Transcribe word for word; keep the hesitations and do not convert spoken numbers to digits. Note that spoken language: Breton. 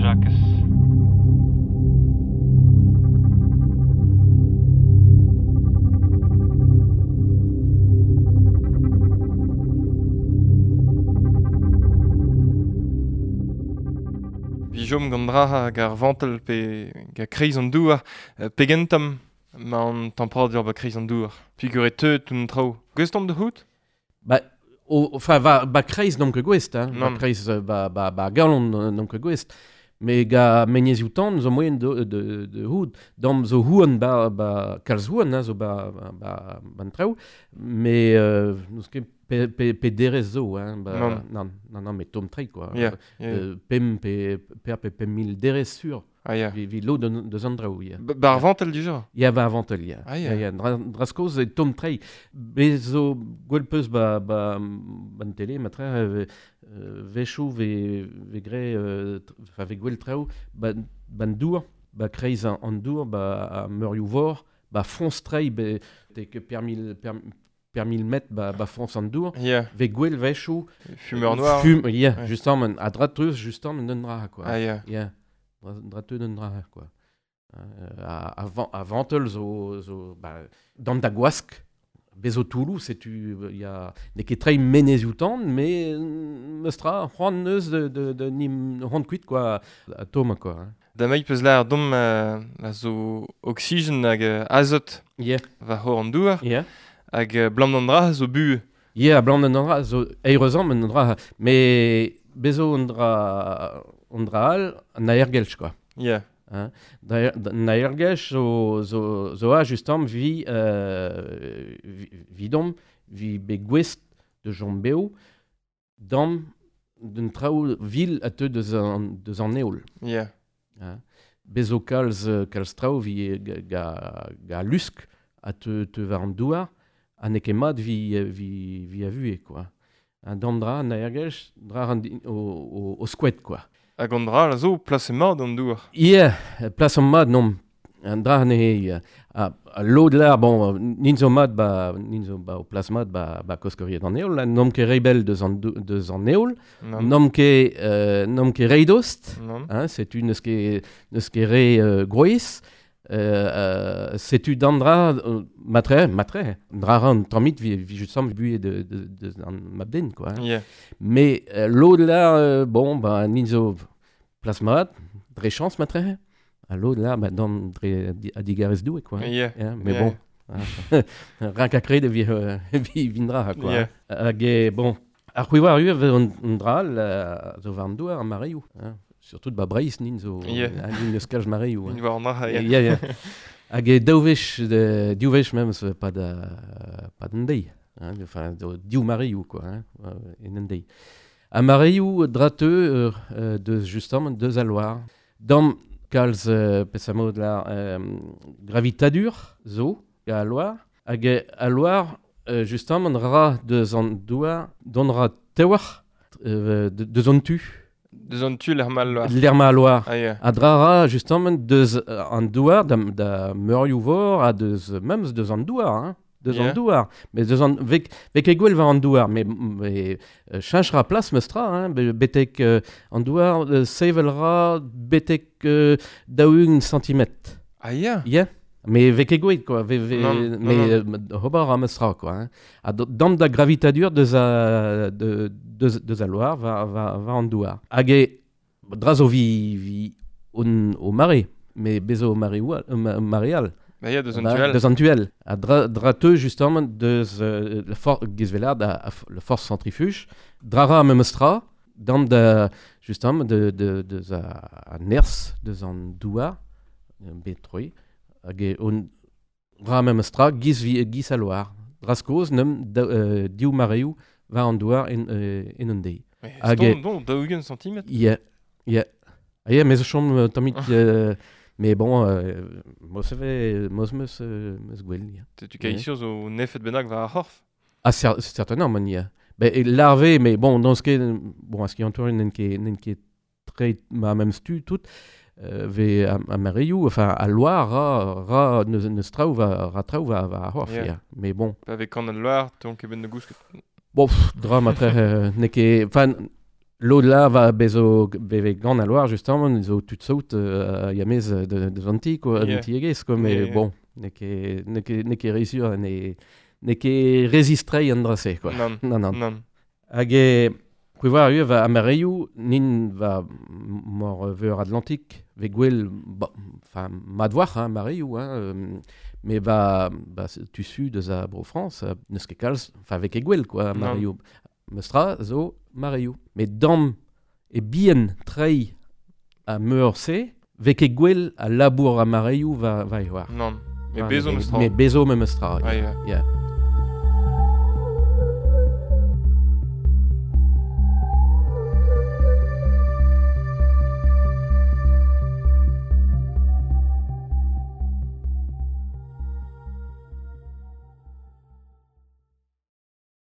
Jakez. Jom gant dra hag ar vantel pe ga kreiz an douar, pegentam ma an temperadur ba kreiz an douar. Pugur e teut un traoù. Gwest om de c'hout? Ba, o, enfin, va, ba kreiz n'om ket gwest, hein. Ba kreiz ba, ba, ba galon n'om ket gwest. Me ga menezioù tan zo moyen de, de, de houd. Dam zo houan ba, ba kalz houan, hein, zo ba, ba, ba, ban traoù. Me, euh, n'eus ket pe, pe, pe derez zo, hein, ba, non. Non, non, non, mais tom trei, quoi. Yeah, yeah. Euh, pem, pe, per, pe, pem mil derez sur. Ah, yeah. Vi, vi lo de, de an draoù, yeah. Ba, ba ar vantel du genre? Ya, ba ar vantel, ya. Ah, yeah. Yeah, yeah. Dra, draskoz e tom trei. Be zo gwell peus ba, ba, ban tele, matre, euh, vechou ve, ve gre, euh, fa ve gwell traoù, ba, ban dour, ba kreiz an, an dour, ba a meurioù vor, ba foñs trei, be, te ke per mil, per, per mil mètres ba, ba foñs an dour, yeah. ve gwell vechou. Fumeur noir. Fume, yeah, ouais. Justement, a dra treus, justement, d'un dra, quoi. Ah, yeah. Yeah. Dra teu d'un dra, quoi. Euh, a, a, a vantel zo, zo ba, dam da gwask, bezo Toulouse, setu, y a ne ket trei menezioù tan, mais meustra, c'hoant neus de, de, de nim c'hoant kuit, quoi, a tom, quoi. Hein. Da mei peus l'ar dom euh, a zo oxygen hag euh, azot yeah. va c'hor an douar, yeah. Hag euh, blam d'an dra zo bu. Yeah, blam d'an dra zo eirezan an dra, mais bezo an dra, an dra all, an aergelch, quoi. Yeah. Hein? An aergelch zo, zo, zo a justement vi, euh, vi, vidom, vi be gwest de jombeo, dam d'un traoù vil a teu deus an, deus an eol. Yeah. Hein? Bezo kalz, kalz traoù vi ga, ga, ga lusk a teu, teu war an douar, ha n'eo ket mat vi, vi, vi a vue, quoi. Un dam dra, an aergelch, dra an o, o, o skouet, quoi. Hag an dra la zo plas mat an douar. Yeah, plas mat, non. An dra ne a, a lod lar, bon, nin zo mat ba, nin zo ba o plas mat ba, ba koskoriet an eol, n'om ket rebel deus an, deus an eol, n'om ket, euh, n'om ket reidost, hein, setu n'eus ket, n'eus ket re euh, groiz, euh, euh, setu d'an dra, euh, matre, matre, dra ran tammit vi, vi justement buet de, de, de, an mabden, quoi. Hein. Yeah. Mais euh, l'eau de là, euh, bon, ben, nin zo plas mat, dre chance, matre, a l'eau de là, ben, dan dre a digarez doue, quoi. Yeah. Yeah, mais yeah. bon, hein, rak a kred vi, euh, vi vindra, quoi. Yeah. Hag e, bon, ar c'hwi war ur an dra, la, zo war an douar, ar mareioù, hein. Surtout ba Breizh nin zo yeah. nin eus kalz mareioù. Nin war an dra, yeah. Yeah, yeah. Hag e daou wech, div wech memes pa da, pa d'an deiz. Hein, enfin, div mareioù, quoi, hein, en an deiz. A mareioù dra teu euh, deus justement deus al loar. Dam kalz euh, pesamod la euh, gravitadur zo ga al loar. Hag e al loar euh, justement ra deus an douar don ra tewar euh, deus an tu. Deus an tu l'er ma loar. L'er ma loar. Ah, yeah. A dra ra, justement, deus an douar, da, da meurioù vor, a deus, memes deus an douar, hein. Deus yeah. an douar. Mais deus an, vek, vek e gwell war an douar, mais, mais euh, cheñch ra plas meustra, hein, betek euh, an douar, euh, sevel ra betek euh, daou-ugent centimetr. Ah, yeah. Yeah. Mais vek e gwell, quoi. Ve, ve, non, non, mais non. Euh, ober ra meustra, quoi. Hein. A dam da gravitadur deus a, de, deus, deus a loar va, va, va an douar. Hag e, dra zo vi, vi on, o mare, mais bezo o mare, oal, ma, mare all. Ba ya, deus an ba, tuel. Deus an tuel. A dra, dra teu, justement, deus euh, la for, gizvelard, a, a, la force centrifuge, dra ra meustra, dam da, justement, de, de, deus a, a nerz, deus an douar, bet troi, hag e on ra meustra, giz, vi, giz a loar. Draskoz, neum, da, euh, div mareoù, war an douar en, euh, en un deiz. Hag e... Bon, daou-ugent centimetr. Yeah, yeah. Ah, yeah, mais zo chom tammit... Euh, mais bon, euh, mos ve, mos meus, euh, meus gwell, yeah. Tu kai sur zo nefet bennak war ar c'horf? Ah, cer certainement, man, yeah. Ben, e larve, mais bon, dans ce ket, bon, a ski antour, n'en ket, n'en ket tre, ma même stu, tout, euh, ve a, a mareioù, enfin, a loar, ra, ra, neus, neus traoù va, ra traoù va, va ar c'horf, yeah. yeah. Mais bon. Avec an al loar, ton ket ben de gousket. Bon, pff, dra matre, euh, n'eo ket... Enfin, Lod la va bezo beve gant a loar justement zo tud saout euh, yamez de, de vanti quoi, Yeah. yeah. tiegez quoi, mais Yeah, yeah. bon, n'eo ket n'eo ket n'eo ket réussir ne n'eo ket résistrei an drase quoi. Nann, Non non. nann. Hag e Kwevar eo va amareioù nin va mor veur Atlantik ve gwell ba, enfin madvoar hein, mareioù hein, euh, mais va ba, tu su deus a bro France euh, neus ket kalz enfin vek e gwell quoi Nann. mareioù Meustra zo mareioù mais dam e bien trei a meur se vek e gwell a labour a mareioù va va e oar. Nann. Me Ah, bezo meustra. Me bezo me meustra. Ah, ya. Yeah.